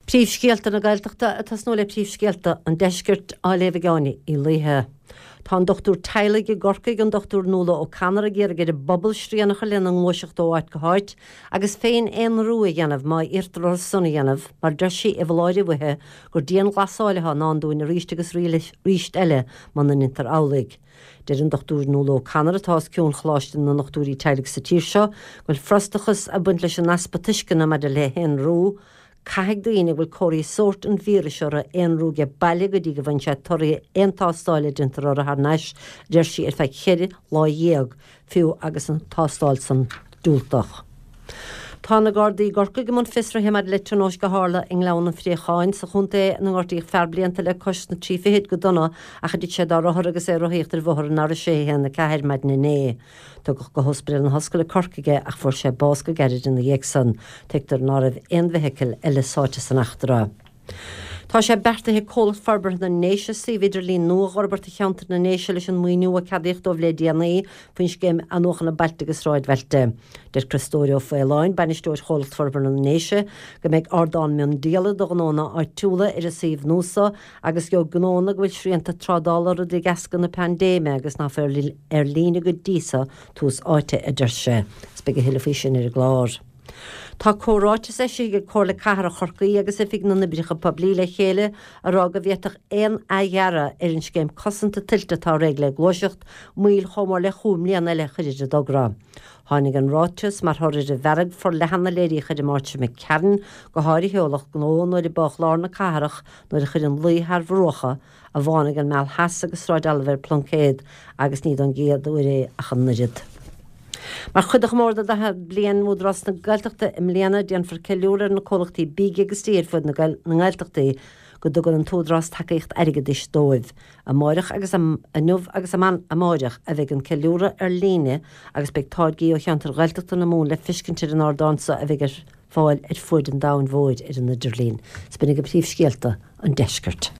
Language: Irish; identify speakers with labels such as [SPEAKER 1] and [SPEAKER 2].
[SPEAKER 1] Príomhscéalta na Gaeltachta ag tosnú le príomhscéalta an Deiscirt á léamh ag Áine Uí Laoithe. Tá an dochtúir teaghlaigh i gCorcaigh, an Dr Nuala O'Connor, ag iarraidh ar an bpobal srian a chur lena ngluaiseacht ó áit go háit agus féin-aonrú a dhéanamh má iarrtar orthu san a dhéanamh mar deir sí i bhfoláireamh uaithi gur dianghlasáil atá i ndán dúinn arís agus arís eile muna ndéantar amhlaidh. Deir an Dr Nuala O'Connor, atá os cionn Choláiste na nDochtúirí Teaghlaigh sa tír seo, go bhfuil frustrachas ag baint leis an easpa tuisceana maidir le haonrú. Caithfidh daoine a bhfuil comharthaí sóirt an víris orthu aonrú age baile go dtí go bhfaigheann siad torthaí aon tástáil a déantar orthu thar n-ais, a deir sí, ar feadh cheithre lá dhéag, fiú agus an tástáil san diúltach. Tá na Gardaí i gCorcaigh i mbun fiosraithe maidir le tionóisc a tharla i nGleann an Phréacháin sa chontae ina ngortaíodh fear blianta le cois na dtrí fichid go dona ach a dtit sé dá rothar agus é ag rothaíocht ar bhóthar an R614 maidin inné. Tugadh go hOspidéal na hOllscoile Corcaigh é ach fuair sé bás go gairid ina dhiaidh san. Tuigtear ná raibh aon bhfeithicil eile sáite san eachtra. Tá sé beartaithe ag Comhlacht Forbartha na nDéise suíomh idirlín nua a dh'fhorbairt do cheantar na nDéise leis an maoiniú a ceadaíodh dóibh le déanaí faoin Scéim Athnuachana Bailte agus Sráidbhailte. Deir Criostóir Ó Faoláin, Bainisteoir Chomhlacht Forbartha na nDéise, go mbeidh ardán miondíola do ghnónna áitiúla ar an suíomh nua so agus gheobhaidh gnónna go bhfuil srianta trádála orthu de dheasca na paindéime agus nach féidir ar líne go dtí so tús áite, a deir sé. Is beidh a thuilleadh faoi sin ar an gclár. Tá comhráiteas eisithe ag Comhairle Cathrach Chorcaí agus Oifig na nOibreacha Poiblí le chéile ag rá go bhféadfadh aon athdhearadh ar an scéim cosanta tuilte atá réidh le gluaiseacht, moill chomh mór le chúig mbliana eile a chur ar an dtogra. Tháinig an ráiteas mar thoradh ar an bhfearg forleathan a léiríodh ar an Máirt seo imigh tharainn, go háirithe ó lucht gnó nuair a bádh lár na cathrach nuair a chuir an luí thar bhruacha a bhánaigh an Meal Theas agus Sráid Oilibhéir Pluincéad agus ní don gcéad uair é ach an oiread. Mar chuid de chomóradh 40 bliain Údarás na Gaeltachta i mbliana, déanfar ceiliúradh ar na comhlachtaí bídh agus dí ar fud na nGaeltachtaí go dtugann an tÚdarás tacaíocht airgeadais dóibh. Amáireach agus inniu agus amáireach a bheidh an ceiliúradh ar líne agus beidh táirgí ó cheantair Ghaeltachta na Mumhan le feiscint ar an ardán so a bheidh ar fáil ar fuaid an domhain mhóir ar an idirlíon. 'S b'in agaibh príomhscéalta an deiscirt.